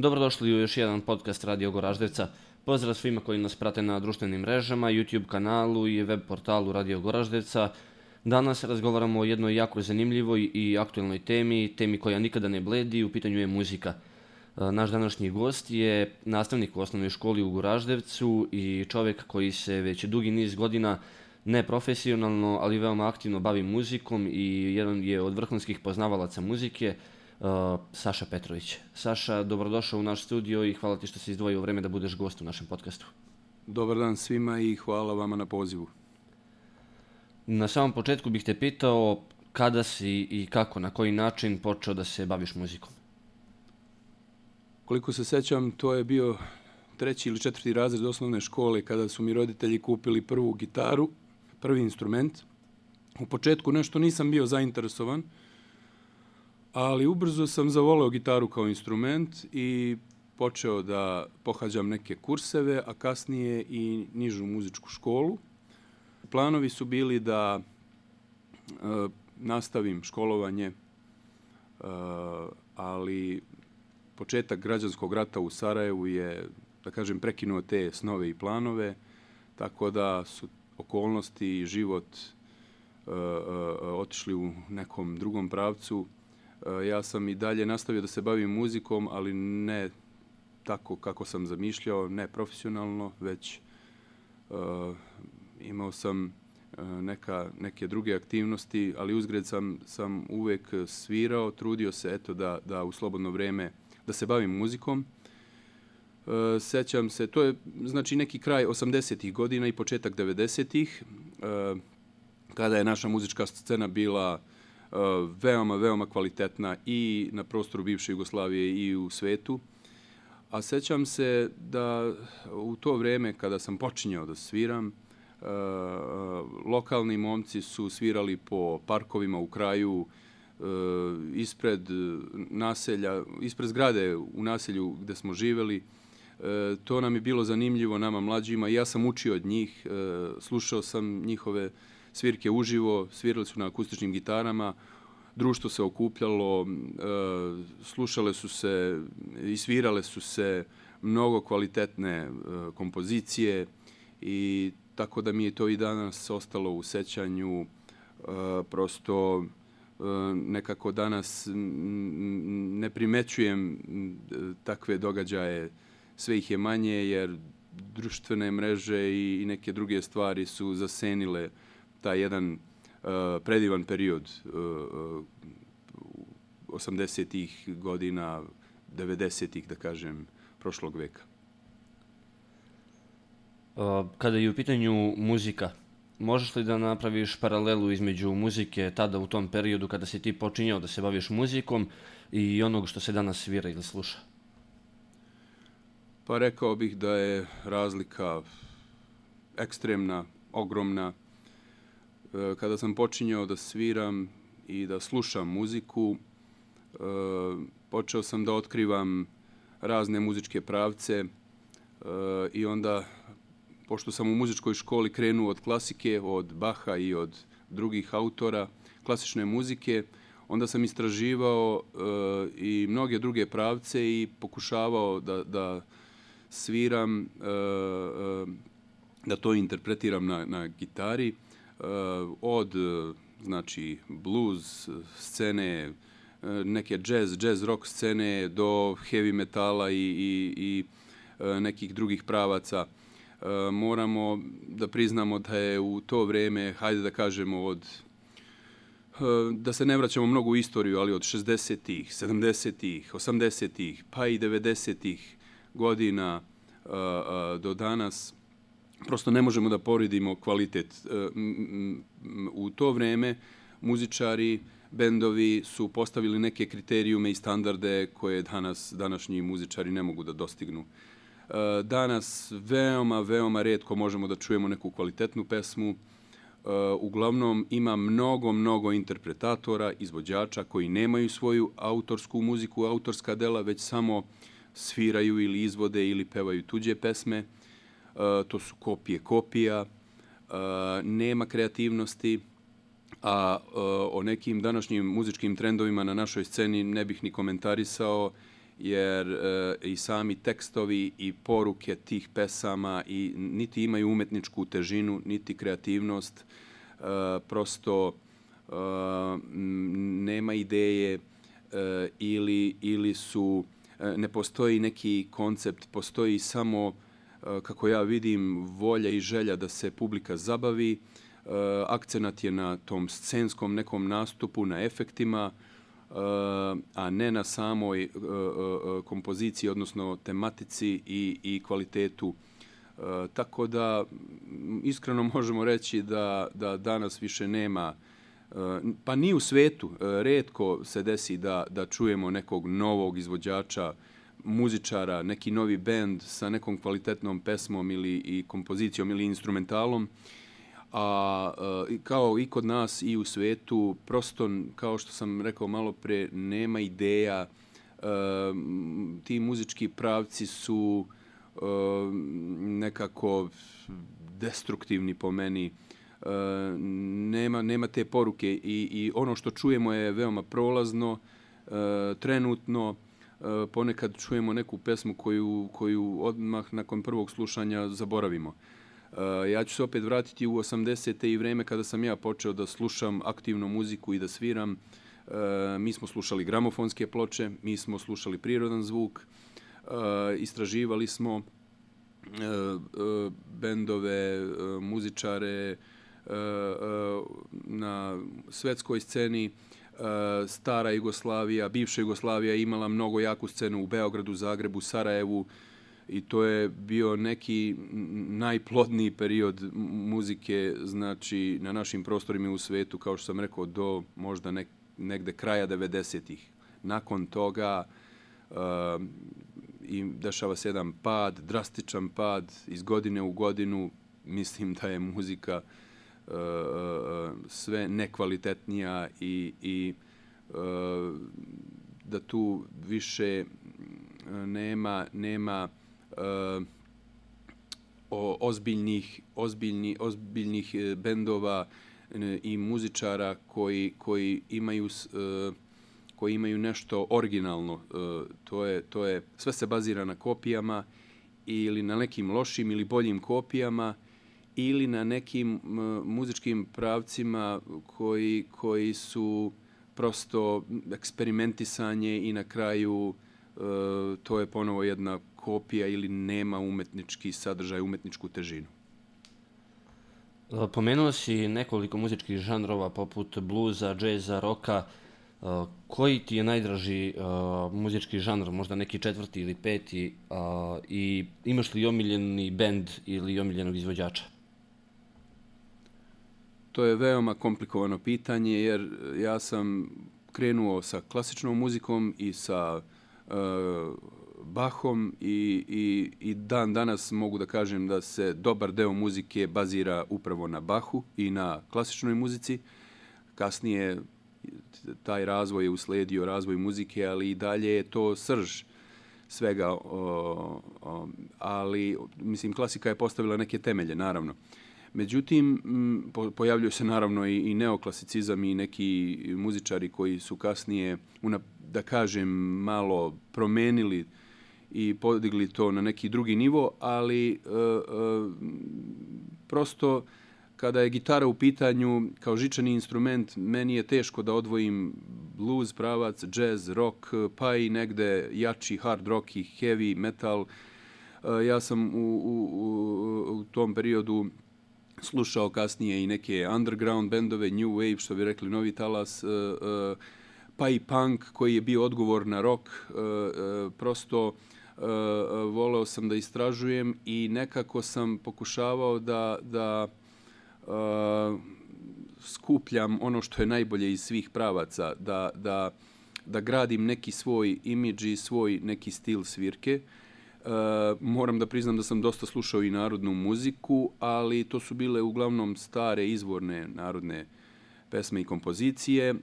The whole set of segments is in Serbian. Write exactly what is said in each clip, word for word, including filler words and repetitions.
Dobrodošli u još jedan podcast Radio Goraždevca. Pozdrav svima koji nas prate na društvenim mrežama, YouTube kanalu i web portalu Radio Goraždevca. Danas razgovaramo o jednoj jako zanimljivoj i aktualnoj temi, temi koja nikada ne bledi, u pitanju je muzika. Naš današnji gost je nastavnik u osnovnoj školi u Goraždevcu i čovjek koji se već dugi niz godina neprofesionalno, ali veoma aktivno bavi muzikom i jedan je od vrhunskih poznavalaca muzike, uh, Saša Petrović. Saša, dobrodošao u naš studio i hvala ti što si izdvojio vreme da budeš gost u našem podcastu. Dobar dan svima i hvala vama na pozivu. Na samom početku bih te pitao kada si i kako, na koji način počeo da se baviš muzikom? Koliko se sećam, to je bio treći ili četvrti razred osnovne škole kada su mi roditelji kupili prvu gitaru, prvi instrument. U početku nešto nisam bio zainteresovan, ali ubrzo sam zavoleo gitaru kao instrument i počeo da pohađam neke kurseve, a kasnije i nižu muzičku školu. Planovi su bili da e, nastavim školovanje, e, ali početak građanskog rata u Sarajevu je, da kažem, prekinuo te snove i planove, tako da su okolnosti i život e, e, otišli u nekom drugom pravcu. E, ja sam i dalje nastavio da se bavim muzikom, ali ne tako kako sam zamišljao, ne profesionalno, već e, imao sam e, neka, neke druge aktivnosti, ali uzgred sam, sam uvek svirao, trudio se eto da, da u slobodno vreme da se bavim muzikom. E, sećam se, to je znači neki kraj osamdesetih godina i početak devedesetih, e, kada je naša muzička scena bila e, veoma, veoma kvalitetna i na prostoru bivše Jugoslavije i u svetu. A sećam se da u to vreme kada sam počinjao da sviram, e, lokalni momci su svirali po parkovima u kraju, ispred naselja, ispred zgrade u naselju gde smo živeli. E, to nam je bilo zanimljivo, nama mlađima, i ja sam učio od njih, e, slušao sam njihove svirke uživo, svirali su na akustičnim gitarama, društvo se okupljalo, e, slušale su se i svirale su se mnogo kvalitetne e, kompozicije, i tako da mi je to i danas ostalo u sećanju. E, prosto nekako danas ne primećujem takve događaje, sve ih je manje jer društvene mreže i neke druge stvari su zasenile taj jedan uh, predivan period uh, osamdesetih godina, devedesetih, da kažem, prošlog veka. Kada je u pitanju muzika, možeš li da napraviš paralelu između muzike tada u tom periodu kada si ti počinjao da se baviš muzikom i onog što se danas svira ili sluša? Pa rekao bih da je razlika ekstremna, ogromna. Kada sam počinjao da sviram i da slušam muziku, počeo sam da otkrivam razne muzičke pravce i onda, pošto sam u muzičkoj školi krenuo od klasike, od Baha i od drugih autora klasične muzike, onda sam istraživao e, i mnoge druge pravce i pokušavao da, da sviram, e, e, da to interpretiram na, na gitari, e, od znači blues scene, neke jazz, jazz rock scene do heavy metala i, i, i nekih drugih pravaca. E, moramo da priznamo da je u to vreme, hajde da kažemo od, e, da se ne vraćamo mnogo u istoriju, ali od šezdesetih, sedamdesetih, osamdesetih, pa i devedesetih godina e, e, do danas, prosto ne možemo da poredimo kvalitet. E, m, m, u to vreme muzičari, bendovi su postavili neke kriterijume i standarde koje danas, današnji muzičari ne mogu da dostignu. Danas veoma, veoma retko možemo da čujemo neku kvalitetnu pesmu. Uglavnom ima mnogo, mnogo interpretatora, izvođača koji nemaju svoju autorsku muziku, autorska dela, već samo sviraju ili izvode ili pevaju tuđe pesme. To su kopije kopija, nema kreativnosti, a o nekim današnjim muzičkim trendovima na našoj sceni ne bih ni komentarisao, jer e, i sami tekstovi i poruke tih pesama i niti imaju umetničku težinu, niti kreativnost, e, prosto e, nema ideje e, ili, ili su, e, ne postoji neki koncept, postoji samo, e, kako ja vidim, volja i želja da se publika zabavi. Uh, akcenat je na tom scenskom nekom nastupu, na efektima, uh, a ne na samoj uh, uh, kompoziciji, odnosno tematici i, i kvalitetu. Uh, tako da, iskreno možemo reći da, da danas više nema, uh, pa ni u svetu, uh, retko se desi da, da čujemo nekog novog izvođača, muzičara, neki novi bend sa nekom kvalitetnom pesmom ili i kompozicijom ili instrumentalom. A kao i kod nas i u svetu, prosto, kao što sam rekao malo pre, nema ideja. Ti muzički pravci su nekako destruktivni po meni. Nema, nema te poruke i, i ono što čujemo je veoma prolazno, trenutno. Ponekad čujemo neku pesmu koju, koju odmah nakon prvog slušanja zaboravimo. Uh, ja ću se opet vratiti u osamdesete i vreme kada sam ja počeo da slušam aktivnu muziku i da sviram. Uh, mi smo slušali gramofonske ploče, mi smo slušali prirodan zvuk, uh, istraživali smo uh, uh, bendove, uh, muzičare uh, uh, na svetskoj sceni. Uh, stara Jugoslavija, bivša Jugoslavija imala mnogo jaku scenu u Beogradu, Zagrebu, Sarajevu. I to je bio neki najplodniji period muzike, znači na našim prostorima u svetu, kao što sam rekao, do možda nek, negde kraja devedesetih. Nakon toga uh, i dešava se jedan pad, drastičan pad iz godine u godinu. Mislim da je muzika uh, sve nekvalitetnija i, i uh, da tu više nema, nema Uh, o, ozbiljnih, ozbiljni, ozbiljnih bendova i muzičara koji, koji, imaju, uh, koji imaju nešto originalno. Uh, to je, to je, sve se bazira na kopijama ili na nekim lošim ili boljim kopijama ili na nekim uh, muzičkim pravcima koji, koji su prosto eksperimentisanje i na kraju uh, to je ponovo jedna kopija ili nema umetnički sadržaj, umetničku težinu. Pomenuo si nekoliko muzičkih žanrova poput bluza, džeza, roka. Koji ti je najdraži uh, muzički žanr, možda neki četvrti ili peti, uh, i imaš li omiljeni bend ili omiljenog izvođača? To je veoma komplikovano pitanje jer ja sam krenuo sa klasičnom muzikom i sa uh, Bachom i, i, i dan danas mogu da kažem da se dobar deo muzike bazira upravo na Bachu i na klasičnoj muzici. Kasnije taj razvoj je usledio razvoj muzike, ali i dalje je to srž svega. O, o, ali, mislim, klasika je postavila neke temelje, naravno. Međutim, po, pojavljuju se naravno i, i neoklasicizam i neki muzičari koji su kasnije, una, da kažem, malo promenili i podigli to na neki drugi nivo, ali e, e, prosto kada je gitara u pitanju kao žičani instrument, meni je teško da odvojim blues pravac, jazz, rock, pa i negde jači hard rock i heavy metal. E, ja sam u, u, u, u tom periodu slušao kasnije i neke underground bendove, new wave, što bi rekli novi talas, e, e, pa i punk koji je bio odgovor na rock. E, e, prosto Uh, voleo sam da istražujem i nekako sam pokušavao da, da uh, skupljam ono što je najbolje iz svih pravaca, da, da, da gradim neki svoj imidž i svoj neki stil svirke. Uh, moram da priznam da sam dosta slušao i narodnu muziku, ali to su bile uglavnom stare izvorne narodne pesme i kompozicije. Uh,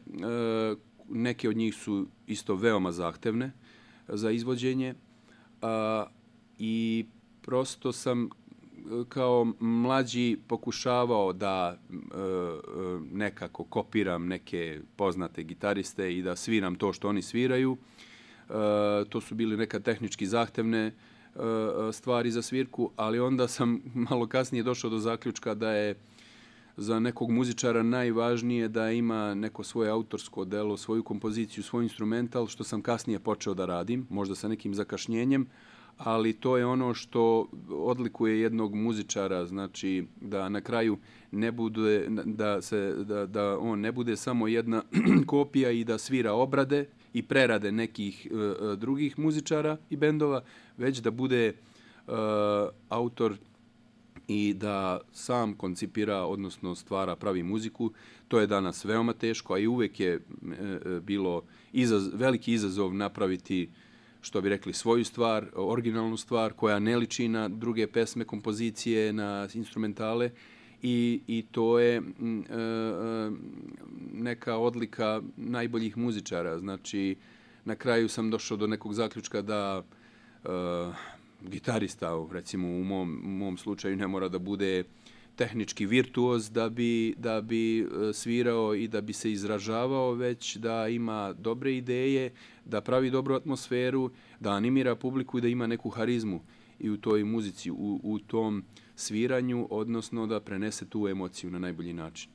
neke od njih su isto veoma zahtevne za izvođenje. Uh, i prosto sam kao mlađi pokušavao da uh, nekako kopiram neke poznate gitariste i da sviram to što oni sviraju. to su bili neka tehnički zahtevne stvari za svirku, ali onda sam malo kasnije došao do zaključka da je za nekog muzičara najvažnije da ima neko svoje autorsko delo, svoju kompoziciju, svoj instrumental, što sam kasnije počeo da radim, možda sa nekim zakašnjenjem, ali to je ono što odlikuje jednog muzičara, znači da na kraju ne bude, da, se, da, da on ne bude samo jedna kopija i da svira obrade i prerade nekih uh, drugih muzičara i bendova, već da bude uh, autor i da sam koncipira, odnosno stvara, pravi muziku. To je danas veoma teško, a i uvek je e, bilo izaz, veliki izazov napraviti, što bi rekli, svoju stvar, originalnu stvar, koja ne liči na druge pesme, kompozicije, na instrumentale. I, i to je e, neka odlika najboljih muzičara. Znači, na kraju sam došao do nekog zaključka da e, gitarista, recimo u mom, u mom slučaju, ne mora da bude tehnički virtuoz da bi, da bi svirao i da bi se izražavao, već da ima dobre ideje, da pravi dobru atmosferu, da animira publiku i da ima neku harizmu i u toj muzici, u, u tom sviranju, odnosno da prenese tu emociju na najbolji način.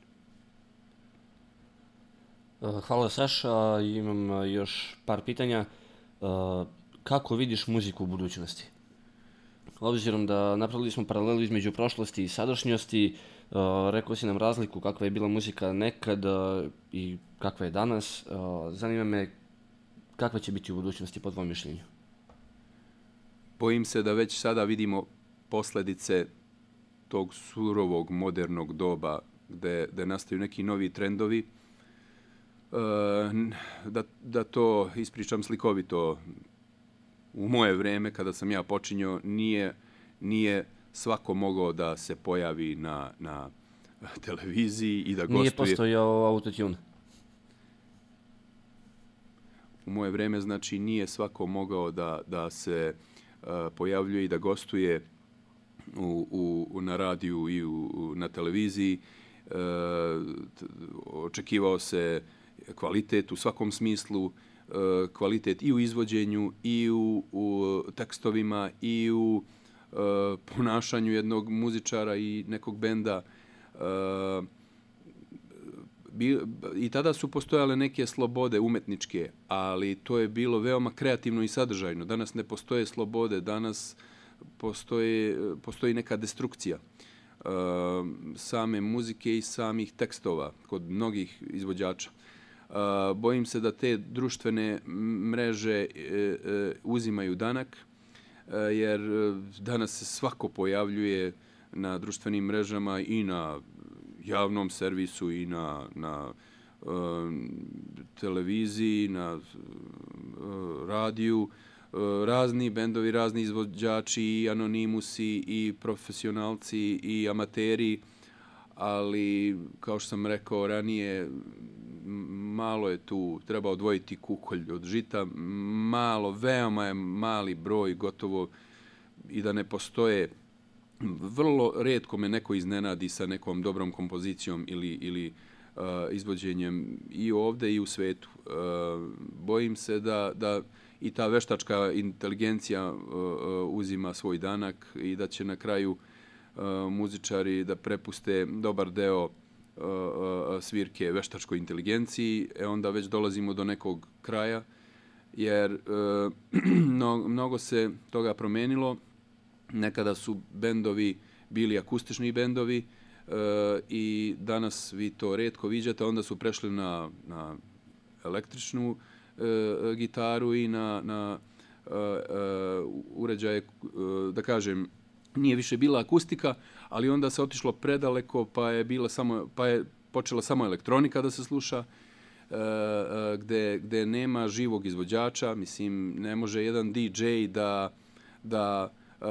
Hvala, Saša. Imam još par pitanja. Kako vidiš muziku u budućnosti? Obzirom da napravili smo paralelu između prošlosti i sadašnjosti, uh, rekao si nam razliku kakva je bila muzika nekad uh, i kakva je danas. Uh, zanima me kakva će biti u budućnosti po tvojom mišljenju? Bojim se da već sada vidimo posljedice tog surovog, modernog doba gde, gde nastaju neki novi trendovi. Uh, da, da to ispričam slikovito, u moje vreme, kada sam ja počinjao, nije, nije svako mogao da se pojavi na, na televiziji i da gostuje. Nije postojao autotune. U moje vreme, znači, nije svako mogao da, da se uh, pojavljuje i da gostuje u, u, na radiju i u, u, na televiziji. Uh, t, očekivao se kvalitet u svakom smislu, kvalitet i u izvođenju, i u, u tekstovima, i u uh, ponašanju jednog muzičara i nekog benda. Uh, bi, I tada su postojale neke slobode umetničke, ali to je bilo veoma kreativno i sadržajno. Danas ne postoje slobode, danas postoje, postoji neka destrukcija uh, same muzike i samih tekstova kod mnogih izvođača. Uh, bojim se da te društvene mreže e, e, uzimaju danak, e, jer danas se svako pojavljuje na društvenim mrežama i na javnom servisu i na, na e, televiziji, na e, radiju. E, razni bendovi, razni izvođači, i anonimusi, i profesionalci, i amateri, ali, kao što sam rekao ranije, malo je tu, treba odvojiti kukolj od žita, malo, veoma je mali broj, gotovo i da ne postoje. Vrlo retko me neko iznenadi sa nekom dobrom kompozicijom ili, ili uh, izvođenjem i ovde i u svetu. Uh, bojim se da, da i ta veštačka inteligencija uh, uh, uzima svoj danak i da će na kraju uh, muzičari da prepuste dobar deo svirke veštačkoj inteligenciji, e onda već dolazimo do nekog kraja, jer e, mnogo se toga promenilo. Nekada su bendovi bili akustični bendovi e, i danas vi to retko viđate, onda su prešli na, na električnu e, gitaru i na, na e, e, uređaje, e, da kažem, nije više bila akustika, ali onda se otišlo predaleko, pa je bila samo, pa je počela samo elektronika da se sluša, e, e, gde, gde nema živog izvođača. Mislim, ne može jedan D J da, da e,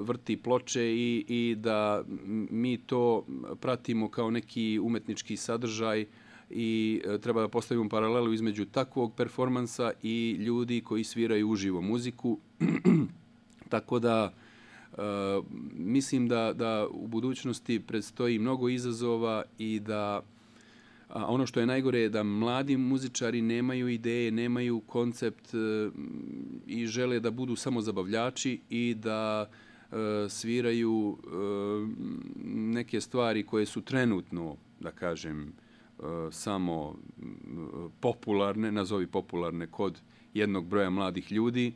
vrti ploče i, i da mi to pratimo kao neki umetnički sadržaj i e, treba da postavimo paralelu između takvog performansa i ljudi koji sviraju uživo muziku. Tako da Uh, mislim da, da u budućnosti predstoji mnogo izazova i da A ono što je najgore je da mladi muzičari nemaju ideje, nemaju koncept e, i žele da budu samo zabavljači i da e, sviraju e, neke stvari koje su trenutno, da kažem, e, samo popularne, nazovi popularne kod jednog broja mladih ljudi.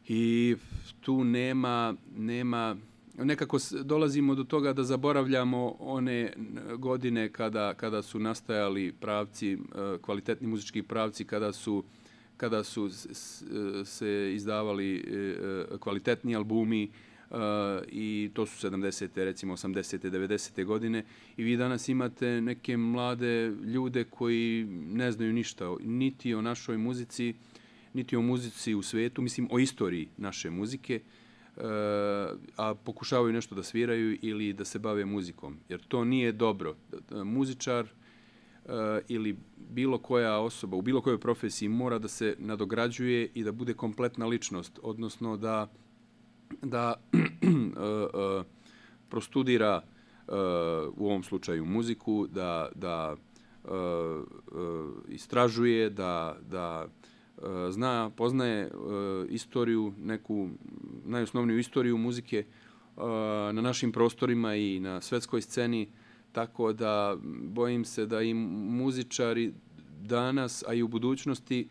I tu nema, nema nekako dolazimo do toga da zaboravljamo one godine kada, kada su nastajali pravci, kvalitetni muzički pravci, kada su, kada su se izdavali kvalitetni albumi i to su sedamdesete, recimo osamdesete, devedesete godine i vi danas imate neke mlade ljude koji ne znaju ništa, niti o našoj muzici, niti o muzici u svetu, mislim o istoriji naše muzike, a pokušavaju nešto da sviraju ili da se bave muzikom. Jer to nije dobro. Muzičar ili bilo koja osoba u bilo kojoj profesiji mora da se nadograđuje i da bude kompletna ličnost, odnosno da, da prostudira u ovom slučaju muziku, da, da istražuje, da, da zna, poznaje istoriju, neku najosnovniju istoriju muzike na našim prostorima i na svetskoj sceni, tako da bojim se da i muzičari danas, a i u budućnosti,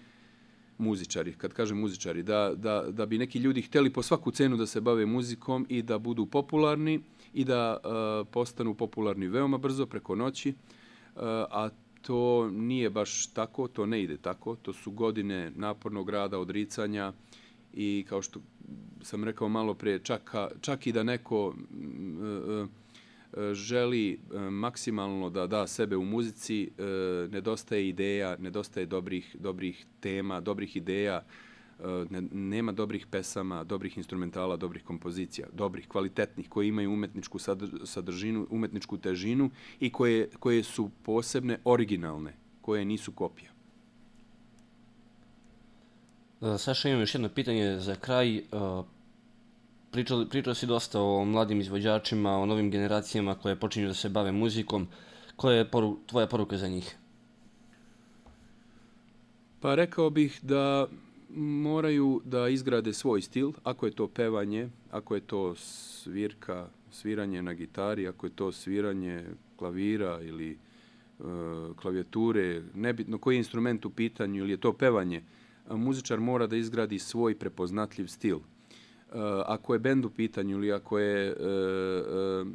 muzičari, kad kažem muzičari, da, da, da bi neki ljudi hteli po svaku cenu da se bave muzikom i da budu popularni i da uh, postanu popularni veoma brzo, preko noći, uh, a to nije baš tako, to ne ide tako, to su godine napornog rada, odricanja i kao što sam rekao malo prije, čak, čak i da neko uh, uh, želi maksimalno da da sebe u muzici, nedostaje ideja, nedostaje dobrih, dobrih tema, dobrih ideja, nema dobrih pesama, dobrih instrumentala, dobrih kompozicija, dobrih, kvalitetnih, koje imaju umetničku sadržinu, umetničku težinu i koje, koje su posebne, originalne, koje nisu kopija. Saša, imam još jedno pitanje za kraj. Pričao, pričao si dosta o mladim izvođačima, o novim generacijama koje počinju da se bave muzikom. Koja je poru, tvoja poruka za njih? Pa rekao bih da moraju da izgrade svoj stil, ako je to pevanje, ako je to svirka, sviranje na gitari, ako je to sviranje klavira ili e, klavijature, nebitno koji je instrument u pitanju ili je to pevanje, muzičar mora da izgradi svoj prepoznatljiv stil. Uh, ako je bend u pitanju ili ako je uh, uh,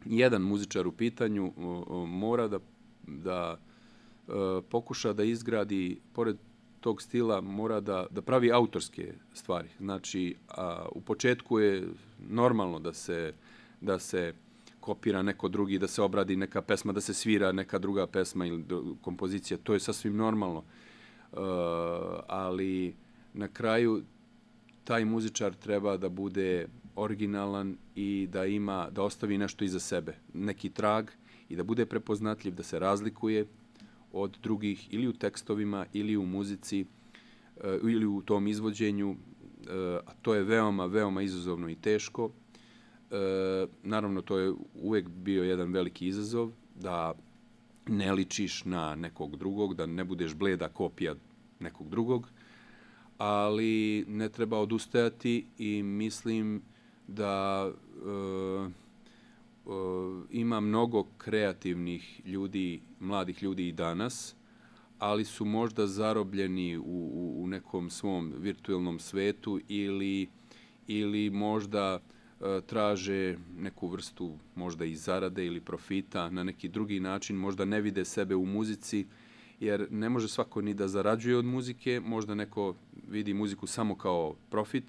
jedan muzičar u pitanju, uh, uh, mora da, da uh, pokuša da izgradi, pored tog stila, mora da, da pravi autorske stvari. Znači, uh, u početku je normalno da se, da se kopira neko drugi, da se obradi neka pesma, da se svira neka druga pesma ili kompozicija. To je sasvim normalno. Uh, ali na kraju taj muzičar treba da bude originalan i da ima, da ostavi nešto iza sebe, neki trag i da bude prepoznatljiv, da se razlikuje od drugih ili u tekstovima ili u muzici ili u tom izvođenju, a to je veoma, veoma izazovno i teško. Naravno, to je uvek bio jedan veliki izazov, da ne ličiš na nekog drugog, da ne budeš bleda kopija nekog drugog, ali ne treba odustajati i mislim da uh, uh, ima mnogo kreativnih ljudi, mladih ljudi i danas, ali su možda zarobljeni u, u, u nekom svom virtualnom svetu ili, ili možda uh, traže neku vrstu možda i zarade ili profita na neki drugi način, možda ne vide sebe u muzici, jer ne može svako ni da zarađuje od muzike, možda neko vidi muziku samo kao profit,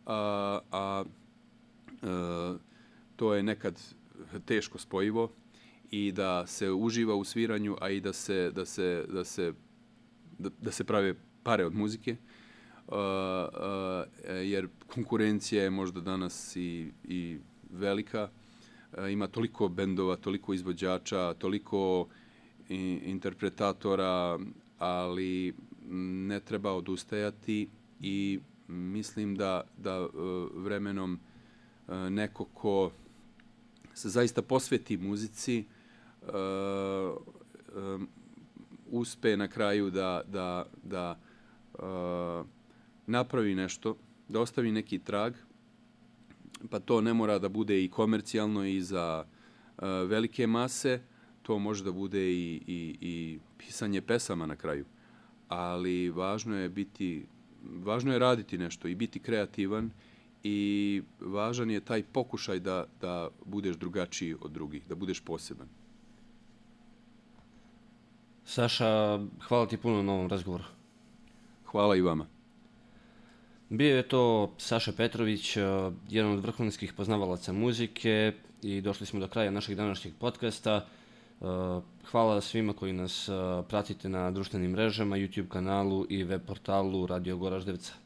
a, a, a to je nekad teško spojivo i da se uživa u sviranju, a i da se, da se, da se, da, da se prave pare od muzike, a, a, jer konkurencija je možda danas i, i velika, a, ima toliko bendova, toliko izvođača, toliko interpretatora, ali ne treba odustajati i mislim da, da vremenom neko ko se zaista posveti muzici um, uspe na kraju da, da, da uh, napravi nešto, da ostavi neki trag, pa to ne mora da bude i komercijalno i za uh, velike mase, to može da bude i, i, i pisanje pesama na kraju. Ali važno je biti, važno je raditi nešto i biti kreativan i važan je taj pokušaj da, da budeš drugačiji od drugih, da budeš poseban. Saša, hvala ti puno na ovom razgovoru. Hvala i vama. Bio je to Saša Petrović, jedan od vrhunskih poznavalaca muzike i došli smo do kraja našeg današnjeg podcasta. Hvala svima koji nas pratite na društvenim mrežama, YouTube kanalu i web portalu Radio Goraždevca.